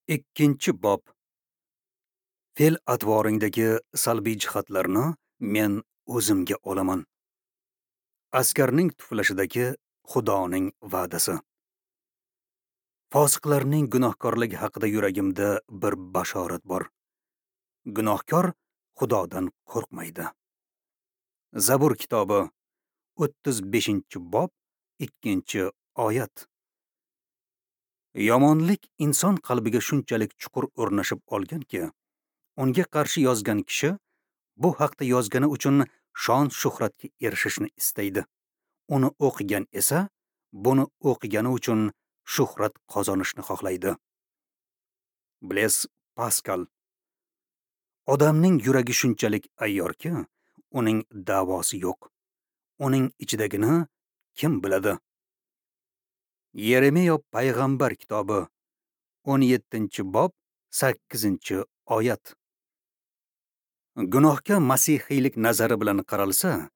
2-bob. Fe'l-atvoringdagi salbiy jihatlarni men o'zimga olaman. Askarning tuflashidagi Xudoning va'dasi. Fosiqlarning gunohkorligi haqida yuragimda bir bashorat bor. Gunohkor Xudodan qo'rqmaydi. Zabur kitobi 35-bob 2-oyat. Yomonlik inson qalbiga shunchalik chuqur o'rnashib olganki, unga qarshi yozgan kishi bu haqda yozgani uchun shon-shuhratga erishishni istaydi. Uni o'qigan esa buni o'qigani uchun shuhrat qozonishni xohlaydi. Blez Paskal. Odamning yuragi shunchalik ayyorki, uning da'vosi yo'q. Uning ichidagini kim biladi? Yeremiya payg'ambar kitobi 17-bob 8-oyat. Gunohga masihiylik nazari bilan qaralsa,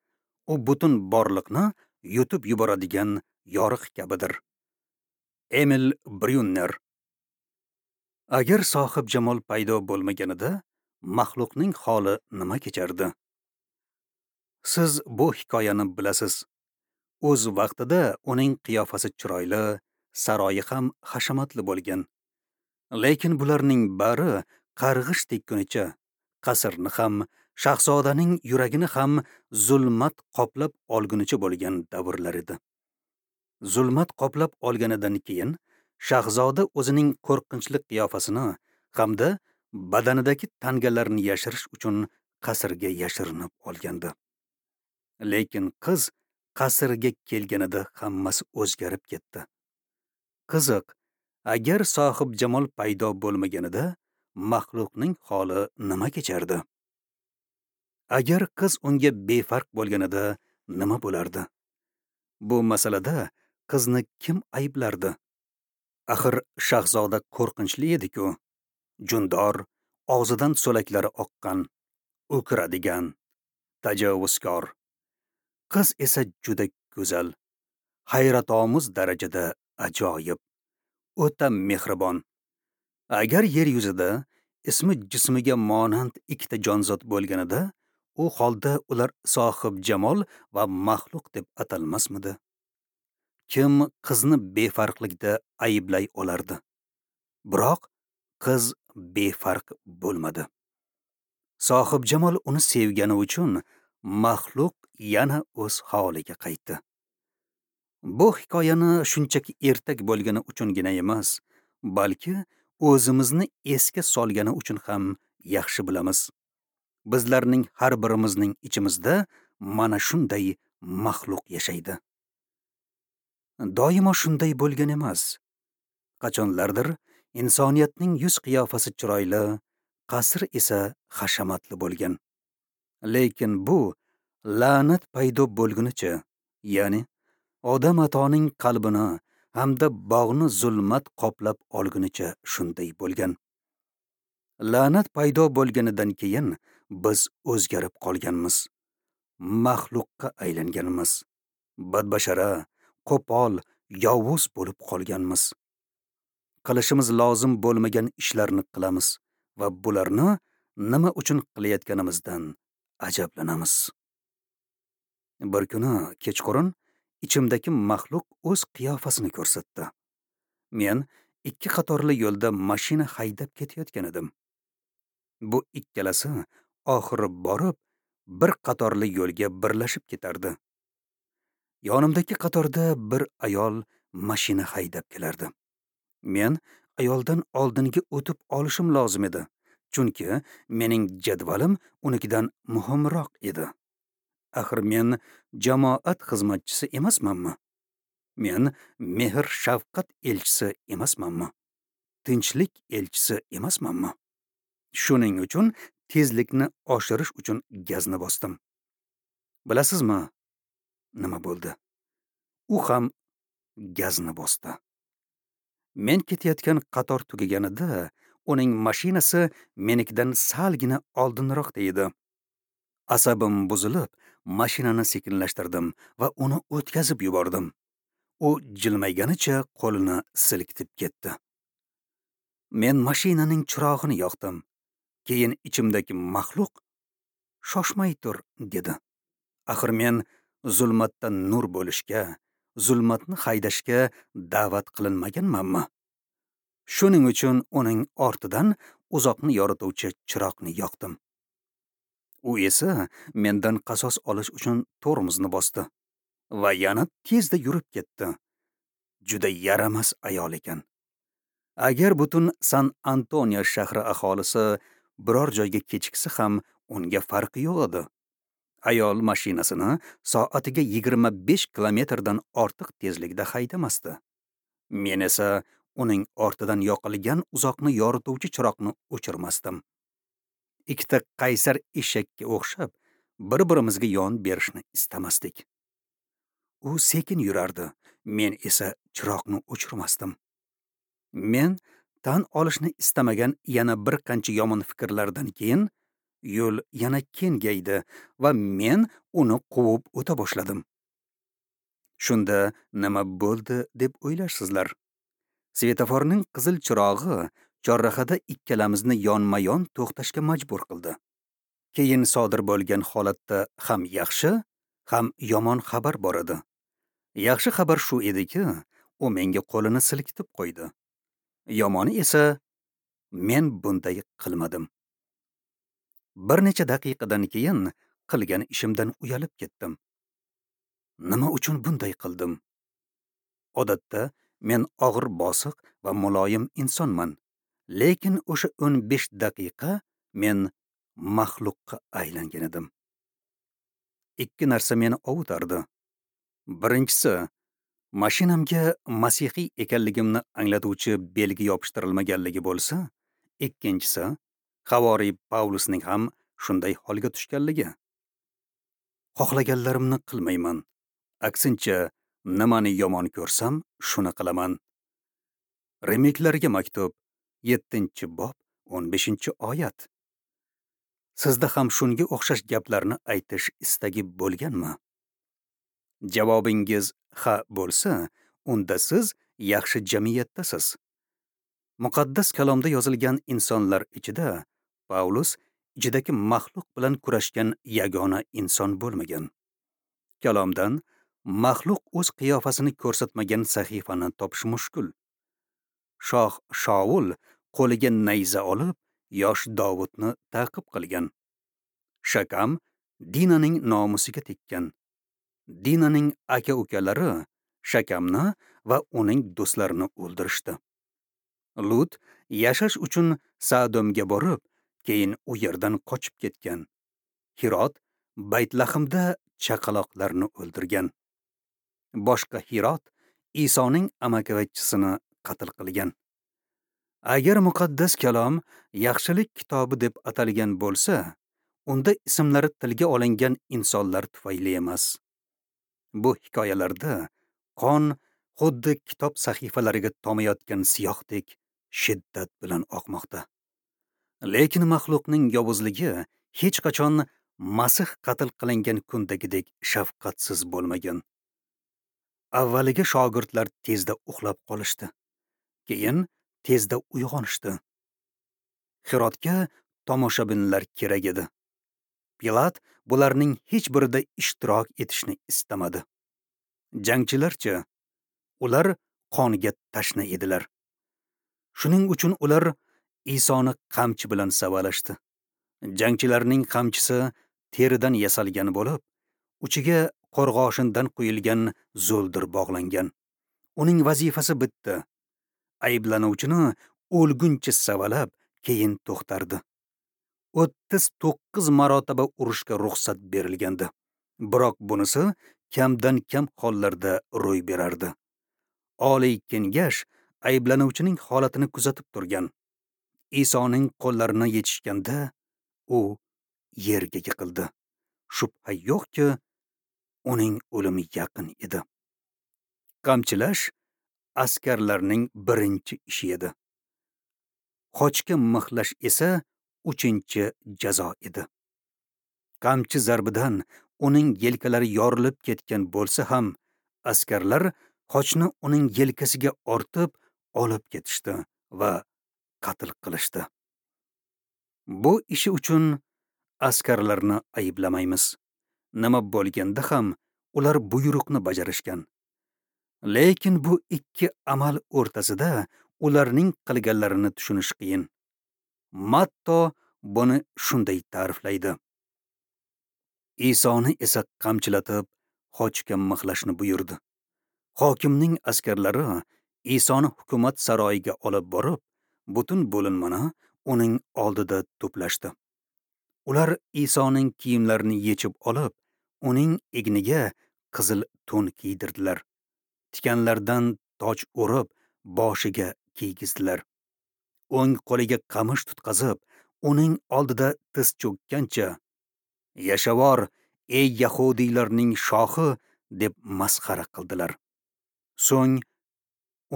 u butun borliqni yutib yuboradigan yoriq kabidir. Emil Bryunner. Agar sohib jamol paydo bo'lmaganida, maxluqning holi nima kechardi? Siz bu hikoyani bilasiz. O'z vaqtida uning qiyofasi chiroyli, saroyi ham hashamatli bo'lgan. Lekin bularning bari qarg'ish tekkunicha qasrni ham, shahzodaning yuragini ham zulmat qoplab olgunicha bo'lgan davrlar edi. Zulmat qoplab olganidan keyin shahzoda o'zining qo'rqinchli qiyofasini hamda badanidagi tangalarni yashirish uchun qasrga yashirinib olgandi. Lekin qiz qasrga kelganida hammasi o'zgarib ketdi. Qiziq, agar sohib jamol paydo bo'lmaganida maxluqning holi nima kechardi? Agar qiz unga befarq bo'lganida nima bo'lardi? Bu masalada qizni kim ayblardi? Axir shahzoda qo'rqinchli edi-ku. Jundor, og'zidan so'laklari oqqan, o'kiradigan, tajovuzkor. Qiz esa juda go'zal, hayratomuz darajada ajoyib, o'ta mehribon. Agar yer yuzida ismi jismiga monand ikkita jonzot bo'lganida, u holda ular sohib jamol va maxluq deb atalmasmidi? Kim qizni befarqlikda ayblay olardi? Biroq qiz befarq bo'lmadi. Sohib jamol uni sevgani uchun maxluq yana o'z holiga qaytdi. Bu hikoyani shunchaki ertak bo'lgani uchungina emas, balki o'zimizni esga solgani uchun ham yaxshi bilamiz. Bizlarning har birimizning ichimizda mana shunday maxluq yashaydi. Doimo shunday bo'lgan emas. Qachonlardir insoniyatning yuz qiyofasi chiroyli, qasr esa hashamatli bo'lgan. Lekin bu la'nat paydo bo'lgunicha, ya'ni Odam atoning qalbini hamda bog'ni zulmat qoplab olgunicha shunday bo'lgan. La'nat paydo bo'lganidan keyin biz o'zgarib qolganmiz. Maxluqqa aylanganmiz. Badbashara, qo'pol, yovuz bo'lib qolganmiz. Qilishimiz lozim bo'lmagan ishlarni qilamiz va bularni nima uchun qilayotganimizdan ajablanamiz. Bir kuni kechqurun ichimdagi maxluq o'z qiyofasini ko'rsatdi. Men ikki qatorli yo'lda mashina haydab ketayotgan edim. Bu ikkalasi oxiri borib bir qatorli yo'lga birlashib ketardi. Yonimdagi qatorda bir ayol mashina haydab kelardi. Men ayoldan oldinga o'tib olishim lozim edi, chunki mening jadvalim unikidan muhimroq edi. Axir men jamoat xizmatchisi emasmanmi? Men mehr-shafqat elchisi emasmanmi? Tinchlik elchisi emasmanmi? Shuning uchun tezlikni oshirish uchun gazni bosdim. Bilasizmi, nima bo'ldi? U ham gazni bosdi. Men ketayotgan qator tugaganida uning mashinasi menikidan salgina oldinroqda edi. Asabim buzilib, mashinani sekinlashtirdim va uni o'tkazib yubordim. U jilmayganicha qo'lini silkitib ketdi. Men mashinaning chirog'ini yoqdim. Keyin ichimdagi maxluq shoshmay tur dedi. Axir men zulmatda nur bo'lishga, zulmatni haydashga da'vat qilinmaganmanmi? Shuning uchun uning ortidan uzoqni yorituvchi chiroqni yoqdim. U esa mendan qasos olish uchun tormozni bosdi va yana tezda yurib ketdi. Juda yaramas ayol ekan. Agar butun San Antonio shahri aholisi biror joyga kechiksa ham unga farqi yo'q edi. Ayol mashinasini soatiga 25 kilometrdan ortiq tezlikda haydamasdi. Men esa uning ortidan yoqilgan uzoqni yorituvchi chiroqni o'chirmasdim. Ikkita qaysar eshakka o'xshab bir-birimizga yon berishni istamasdik. U sekin yurardi, men esa chiroqni o'chirmasdim. Men tan olishni istamagan yana bir qancha yomon fikrlardan keyin yo'l yana kengaydi va men uni quvib o'ta boshladim. Shunda nima bo'ldi deb o'ylarsizlar? Svetoforning qizil chirog'i chorrahada ikkalamizni yonma-yon to'xtashga majbur qildi. Keyin sodir bo'lgan holatda ham yaxshi, ham yomon xabar bor edi. Yaxshi xabar shu ediki, u menga qo'lini silkitib qo'ydi. Yomoni esa men bunday qilmadim. Bir necha daqiqadan keyin qilgan ishimdan uyalib ketdim. Nima uchun bunday qildim? Odatda men og'ir bosiq va muloyim insonman. Lekin o'sha 15 daqiqa men maxluqqa aylangan edim. Ikki narsa meni ovutardi. Birinchisi, mashinamga masihiy ekanligimni anglatuvchi belgi yopishtirilmaganligi bo'lsa, ikkinchisi, havoriy Pavlusning ham shunday holga tushganligi. Xohlaganlarimni qilmayman. Aksincha, nimani yomon ko'rsam, shuni qilaman. Rimliklarga maktub, 7-bob, 15-oyat. Sizda ham shunga o'xshash gaplarni aytish istagi bo'lganmi? Javobingiz ha bo'lsa, unda siz yaxshi jamiyatdasiz. Muqaddas kalomda yozilgan insonlar ichida Pavlus ichidagi maxluq bilan kurashgan yagona inson bo'lmagan. Kalomdan maxluq o'z qiyofasini ko'rsatmagan sahifani topish mushkul. Shoh Shaul qo'liga nayza olib, yosh Davudni ta'qib qilgan. Shakam Dinaning nomusiga tekkan. Dinaning aka-ukalari Shakamni va uning do'stlarini o'ldirishdi. Lut yashash uchun Sadomga borib, keyin u yerdan qochib ketgan. Hirot Baytlahimda chaqaloqlarni o'ldirgan. Boshqa Hirot Isoning amakivachchisini qatl qilgan. Agar muqaddas kalom yaxshilik kitobi deb atalgan bo'lsa, unda ismlari tilga olingan insonlar tufayli emas. Bu hikoyalarda qon xuddi kitob sahifalariga tomayotgan siyohdek shiddat bilan oqmoqda. Lekin maxluqning yovuzligi hech qachon Masih qatl qilingan kundagidek shafqatsiz bo'lmagan. Avvaliga shogirdlar tezda uxlab qolishdi. Keyin tezda uyg'onishdi. Hirotga tomoshabinlar kerak edi. Pilat bularning hech birida ishtirok etishni istamadi. Jangchilarchi, ular qonga tashna edilar. Shuning uchun ular Isoni qamchi bilan savalashdi. Jangchilarning qamchisi teridan yasalgan bo'lib, uchiga qo'rg'oshindan quyilgan zo'ldir bog'langan. Uning vazifasi bitdi. Ayblanuvchini o'lguncha savalab, keyin to'xtardi. 39 marotaba urushga ruxsat berilgandi. Biroq bunisi kamdan-kam hollarda ro'y berardi. Oliy kengash ayblanuvchining holatini kuzatib turgan. Isoning qo'llarini yechishganda u yerga yiqildi. Shubha yo'qki, uning o'limi yaqin edi. Qamchilash askarlarning birinchi ishi edi. Xochga mixlash esa 3-jazo edi. Qamchi zarbidan uning yelkalari yorilib ketgan bo'lsa ham, askarlar xochni uning yelkasiga ortib olib ketishdi va qatl qilishdi. Bu ishi uchun askarlarni ayblamaymiz. Nima bo'lganda ham ular buyruqni bajarishgan. Lekin bu ikki amal o'rtasida ularning qilganlarini tushunish qiyin. Matto buni shunday ta'riflaydi. Isoni esa qamchilatib, xochga mixlashni buyurdi. Hokimning askarlari Isoni hukumat saroyiga olib borib, butun bo'linmani uning oldida to'plashdi. Ular Isoning kiyimlarini yechib olib, uning egniga qizil to'n kiydirdilar. Tikanlardan toj o'rib, boshiga kiygizdilar. O'ng qo'liga qamish tutqazib, uning oldida tiz cho'kkancha, "Yashavor, ey yahudiylarning shohi" deb masxara qildilar. So'ng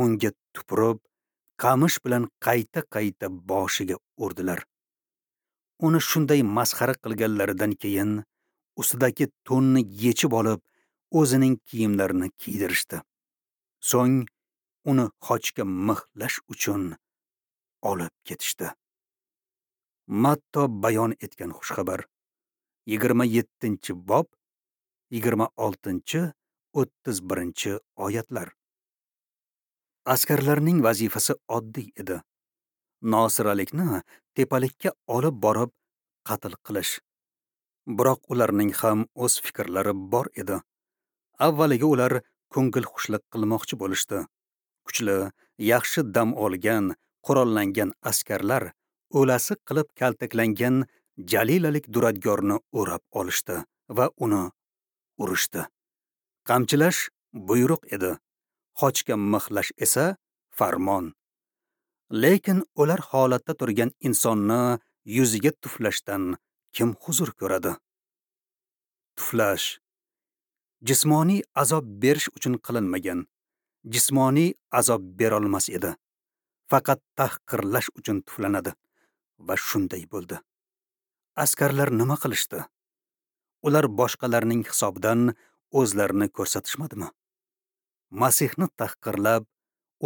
unga tupurib, qamish bilan qayta-qayta boshiga urdilar. Uni shunday masxara qilganlaridan keyin ustidagi to'nni yechib olib, o'zining kiyimlarini kiydirishdi. So'ng uni xochga mixlash uchun olib ketishdi. Matto bayon etgan xushxabar 27-bob 26-31 oyatlar. Askarlarning vazifasi oddiy edi. Nosiralikni tepalikka olib borib qatl qilish. Biroq ularning ham o'z fikrlari bor edi. Avvaliga ular ko'ngil xushlik qilmoqchi bo'lishdi. Kuchli, yaxshi dam olgan, qurollangan askarlar o'lasi qilib kaltaklangan Jalilalik duradgorni o'rab olishdi va uni urishdi. Qamchilash buyruq edi. Xochga mixlash esa farmon. Lekin o'lar holatda turgan insonni yuziga tuflashdan kim huzur ko'radi? Tuflash jismoniy azob berish uchun qilinmagan. Jismoniy azob berolmas edi. Faqat tahqirlash uchun tuflanadi va shunday bo'ldi. Askarlar nima qilishdi? Ular boshqalarning hisobidan o'zlarini ko'rsatishmadimi? Masihni tahqirlab,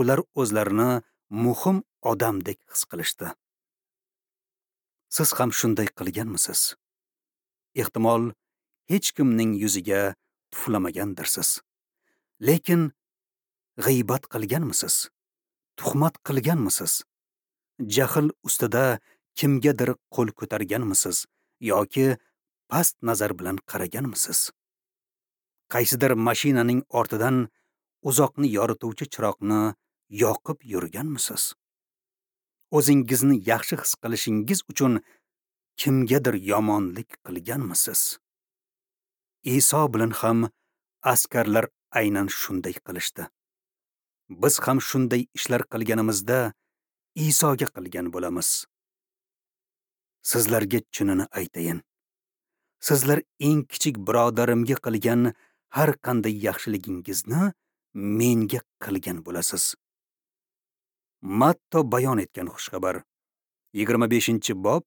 ular o'zlarini muhim odamdek his qilishdi. Siz ham shunday qilganmisiz? Ehtimol hech kimning yuziga tuflamagandirsiz. Lekin g'iybat qilganmisiz? Tuhmat qilganmisiz? Jahl ustida kimgadir qo'l ko'targanmisiz yoki past nazar bilan qaraganmisiz? Qaysidir mashinaning ortidan uzoqni yorituvchi chiroqni yoqib yurganmisiz? O'zingizni yaxshi his qilishingiz uchun kimgadir yomonlik qilganmisiz? Iso bilan ham askarlar aynan shunday qilishdi. Biz ham shunday ishlar qilganimizda Isoga qilgan bo'lamiz. Sizlarga chinini aytayin. Sizlar eng kichik birodarimga qilgan har qanday yaxshiligingizni menga qilgan bo'lasiz. Matto bayon etgan xushxabar 25-bob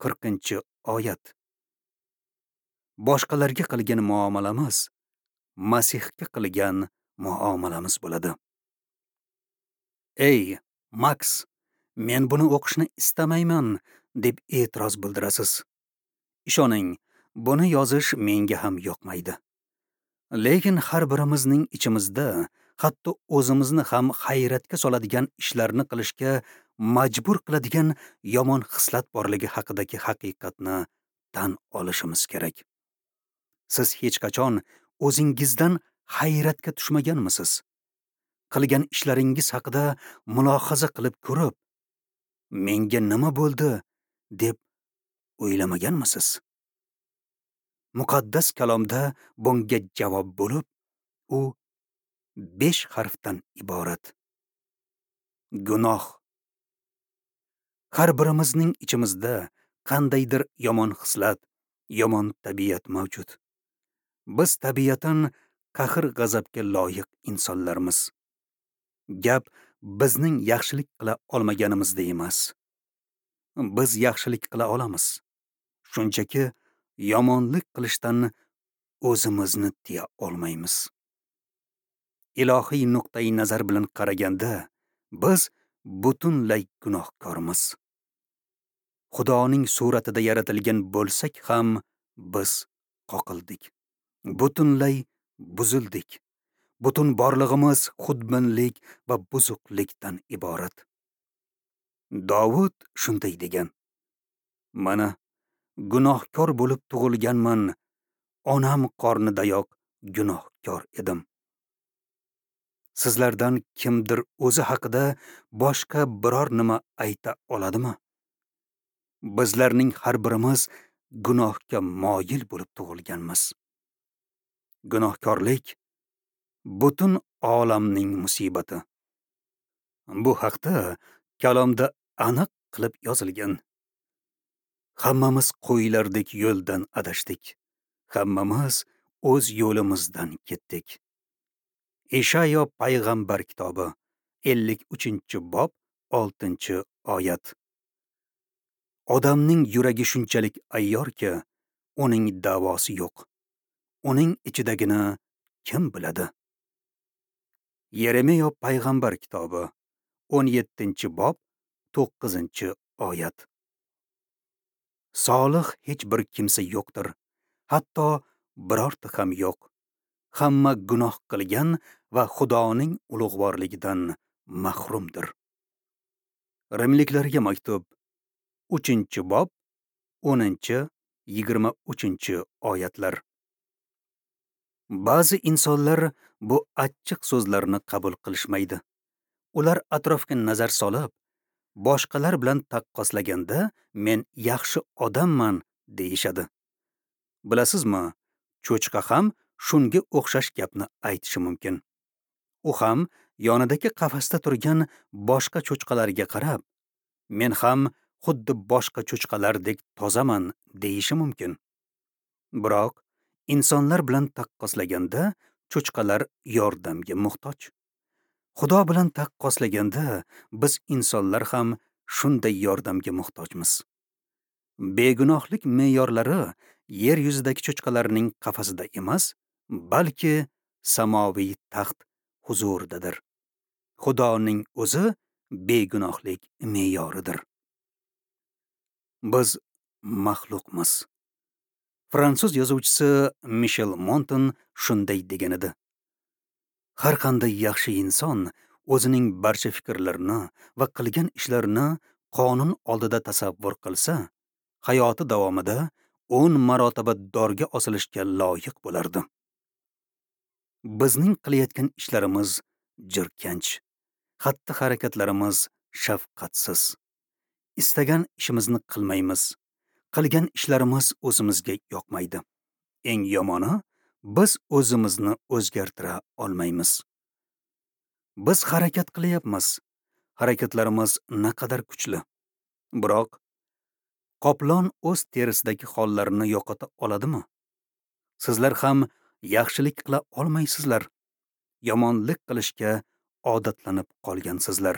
40-oyat. Boshqalarga qilgan muomalamiz Masihga qilgan muomalamiz bo'ladi. Ey, Max, men buni o'qishni istamayman, deb e'tiroz bildirasiz. Ishoning, buni yozish menga ham yoqmaydi. Lekin har birimizning ichimizda hatto o'zimizni ham hayratga soladigan ishlarni qilishga majbur qiladigan yomon xislat borligi haqidagi haqiqatni tan olishimiz kerak. Siz hech qachon o'zingizdan hayratga tushmaganmisiz? Qilgan ishlaringiz haqida mulohaza qilib ko'rib, menga nima bo'ldi deb o'ylamaganmisiz? Muqaddas kalomda bunga javob bo'lib, u 5 harfdan iborat. Gunoh. Har birimizning ichimizda qandaydir yomon xislat, yomon tabiat mavjud. Biz tabiatan qahr-g'azabga loyiq insonlarmiz. Gap bizning yaxshilik qila olmaganimizda emas. Biz yaxshilik qila olamiz. Shunchaki yomonlik qilishdan o'zimizni tiya olmaymiz. Ilohiy nuqtai nazar bilan qaraganda, biz butunlay gunohkormiz. Xudoning suratida yaratilgan bo'lsak ham biz qoqildik. Butunlay buzildik. Butun borlig'imiz xudbinlik va buzuqlikdan iborat. Dovud shunday degan: Mana gunohkor bo'lib tug'ilganman, onam qornidayoq gunohkor edim. Sizlardan kimdir o'zi haqida boshqa biror nima ayta oladimi? Bizlarning har birimiz gunohga moyil bo'lib tug'ilganmiz. Gunohkorlik butun olamning musibati. Bu haqda kalomda aniq qilib yozilgan. Hammamiz qo'ylardek yo'ldan adashdik. Hammamiz o'z yo'limizdan ketdik. Ishayo payg'ambar kitobi 53-bob 6-oyat. Odamning yuragi shunchalik ayyorki, uning davosi yo'q. Uning ichidagini kim biladi? Yeremiya payg'ambar kitobi 17-bob 9-oyat. Solih hech bir kimsa yo'qdir, hatto birorta ham yo'q. Hamma gunoh qilgan va Xudoning ulug'vorligidan mahrumdir. Rimliklarga maktub 3-bob 10-23 oyatlar. Ba'zi insonlar bu achchiq so'zlarni qabul qilishmaydi. Ular atrofga nazar solib, boshqalar bilan taqqoslaganda men yaxshi odamman deyishadi. Bilasizmi, cho'chqa ham shunga o'xshash gapni aytishi mumkin. U ham yonidagi qafasda turgan boshqa cho'chqalarga qarab, men ham xuddi boshqa cho'chqalardek tozaman deyishi mumkin. Biroq insonlar bilan taqqoslaganda cho'chqalar yordamga muhtoj. Xudo bilan taqqoslaganda biz insonlar ham shunday yordamga muhtojmiz. Begunohlik me'yorlari yer yuzidagi cho'chqalarning qafasida emas, balki samoviy taxt huzuridadir. Xudoning o'zi begunohlik me'yoridir. Biz maxluqmiz. Fransuz yozuvchisi Mishel Monten shunday degan edi: Har qanday yaxshi inson o'zining barcha fikrlarini va qilgan ishlarini qonun oldida tasavvur qilsa, hayoti davomida 10 marotaba dorga osilishga loyiq bo'lardi. Bizning qilayotgan ishlarimiz jirkanch, xatti-harakatlarimiz shafqatsiz. Istagan ishimizni qilmaymiz. Qilgan ishlarimiz o'zimizga yoqmaydi. Eng yomoni, biz o'zimizni o'zgartira olmaymiz. Biz harakat qilyapmiz. Harakatlarimiz naqadar kuchli. Biroq qoplon o'z terisidagi hollarini yo'qota oladimi? Sizlar ham yaxshilik qila olmaysizlar. Yomonlik qilishga odatlanib qolgansizlar.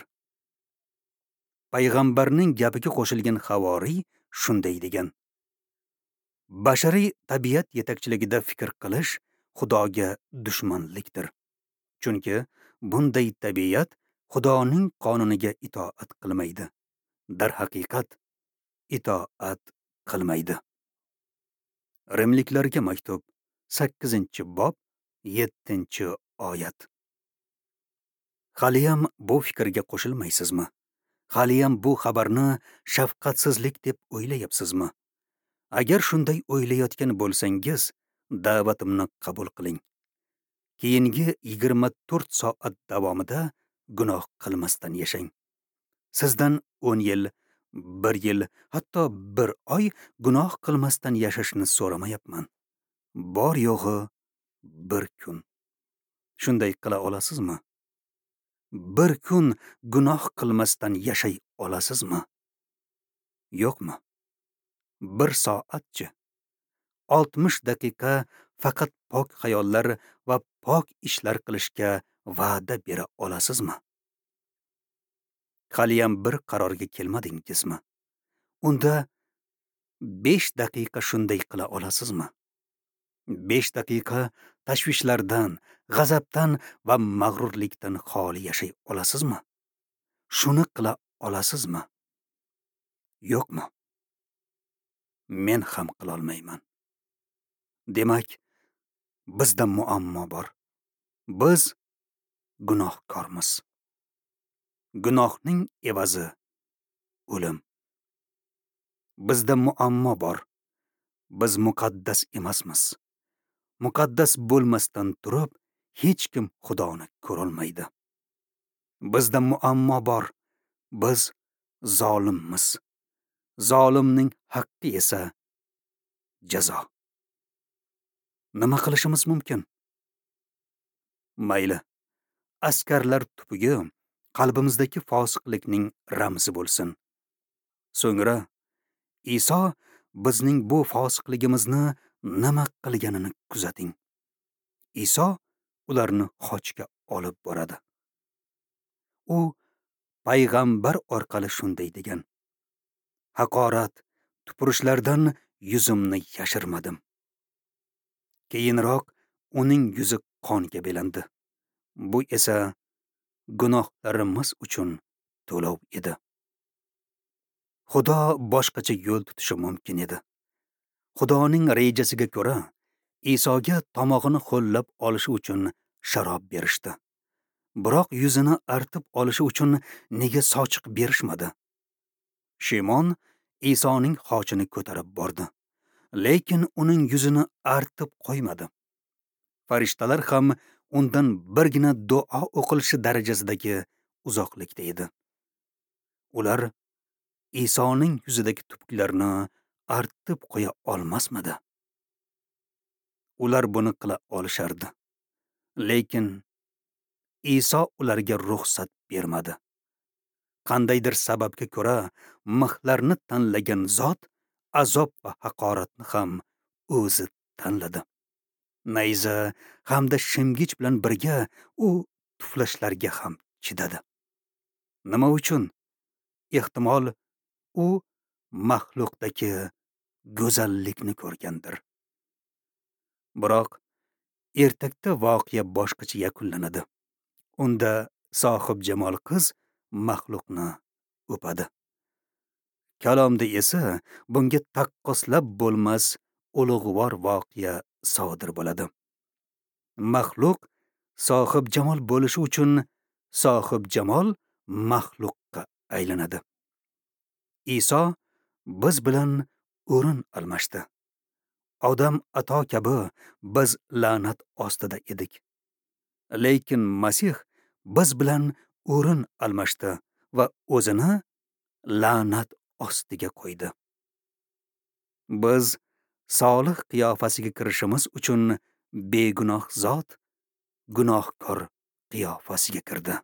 Payg'ambarning gapiga qo'shilgan havoriy shunday degan: Bashariy tabiat yetakchiligida fikr qilish Xudoga dushmanlikdir. Chunki bunday tabiat Xudoning qonuniga itoat qilmaydi. Darhaqiqat itoat qilmaydi. Rimliklarga maktub 8-bob 7-oyat. Haliyam bu fikrga qo'shilmaysizmi? Haliyam bu xabarni shafqatsizlik deb o'ylayapsizmi? Agar shunday o'ylayotgan bo'lsangiz, da'vatimni qabul qiling. Keyingi 24 soat davomida gunoh qilmasdan yashang. Sizdan 10 yil, 1 yil, hatto 1 oy gunoh qilmasdan yashashni so'ramayapman. Bor yo'g'i 1 kun. Shunday qila olasizmi? 1 kun gunoh qilmasdan yashay olasizmi? Yo'qmi? 1 soatchi? 60 daqiqa faqat pok xayollar va pok ishlar qilishga va'da bera olasizmi? Haliyam bir qarorga kelmadingizmi? Unda 5 daqiqa shunday qila olasizmi? 5 daqiqa tashvishlardan, g'azabdan va mag'rurlikdan xoli yashay olasizmi? Shuni qila olasizmi? Yo'qmi? Men ham qila olmayman. Demak, bizda muammo bor. Biz gunohkormiz. Gunohning evazi o'lim. Bizda muammo bor. Biz muqaddas emasmiz. Muqaddas bo'lmasdan turib, hech kim Xudoni ko'rolmaydi. Bizda muammo bor. Biz zolimmiz. Zolimning haqqi esa jazo. Nima qilishimiz mumkin? Mayli, askarlar tupugi qalbimizdagi fosiqlikning ramzi bo'lsin. So'ngra Iso bizning bu fosiqligimizni nima qilganini kuzating. Iso ularni xochga olib boradi. U payg'ambar orqali shunday degan: haqorat, tupurishlardan yuzimni yashirmadim. Keyinroq uning yuzi qonga belandi. Bu esa gunohlarimiz uchun to'lov edi. Xudo boshqacha yo'l tutishi mumkin edi. Xudoning rejasiga ko'ra, Isoga tomog'ini ho'llab olishi uchun sharob berishdi. Biroq yuzini artib olishi uchun nega sochiq berishmadi? Shimon Isoning xochini ko'tarib bordi, lekin uning yuzini artib qo'ymadi. Farishtalar ham undan birgina duo o'qilishi darajasidagi uzoqlikda edi. Ular Isoning yuzidagi tupuklarni artib qo'ya olmasmidi? Ular buni qila olishardi. Lekin Iso ularga ruxsat bermadi. Qandaydir sababga ko'ra mixlarni tanlagan zot azob va haqoratni ham o'zi tanladi. Nayza hamda shimgich bilan birga u tuflashlarga ham chidadi. Nima uchun? Ehtimol u maxluqdagi go'zallikni ko'rgandir. Biroq ertakda voqea boshqacha yakunlanadi. Unda sohibjamol qiz maxluqni o'padi. Kalomda esa bunga taqqoslab bo'lmas ulug'vor voqea sodir bo'ladi. Maxluq sohibjamol bo'lishi uchun sohibjamol maxluqqa aylanadi. Iso biz bilan o'rin almashdi. Odam ato kabi biz la'nat ostida edik. Lekin Masih biz bilan o'rin almashdi va o'zini la'nat ostiga qo'ydi. Biz solih qiyofasiga kirishimiz uchun begunoh zot gunohkor qiyofasiga kirdi.